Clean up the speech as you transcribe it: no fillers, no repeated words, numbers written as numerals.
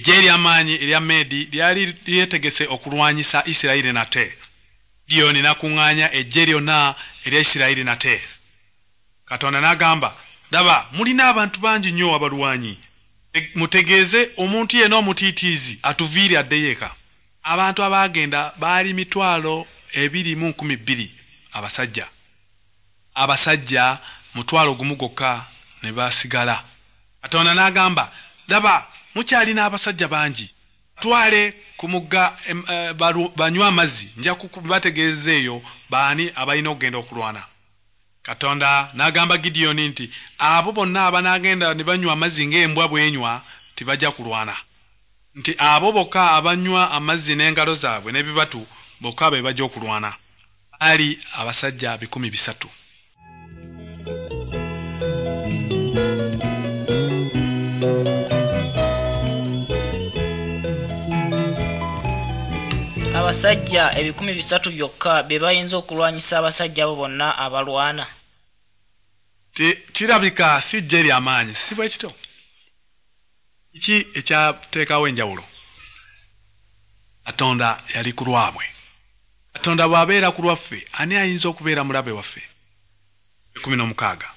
Eggye ery'amaanyi erya Meedi lyali lyetegese okulwanyisa Isirayiri nate. Gidiyoni n'akuŋŋaanya eggye lyonna erya Isirayiri nate. Katonda n'agamba, "Laba, mulina abantu bangi nnyo abalwanyi. Mutegeeze omuntu yenna omutiitiizi atuviire addeyo eka." Abantu abaagenda baali 22,000 abasajja. Abasajja 10,000 gwokka ne basigala. Katonda n'agamba, "Laba, mukyalina abasajja bangi. Twale ku mugga banywe amazzi, nja kubategeeza eyo baani abalina okugenda okulwana." Katonda n'agamba Gidiyoni nti abo bonna abanaagenda ne banywa amazzi ng'embwa bw'enywa tebajja kulwana. Nti abo bokka abanywa amazzi n'engalo zaabwe n'ebibatu bokka be bajja okulwana. Baali abasajja 300,000. Abasajja 300,000 byokka be bayinza okulwanyisa abasajja abo bonna abalwana. Kirabika si ggye ly'amaanyi, si bwe kityo? Kiki ekyateekawo enjawulo? Katonda yali ku lwabwe. Katonda bw'abeera ku lwaffe, ani ayinza okubeera mulabe waffe? 16.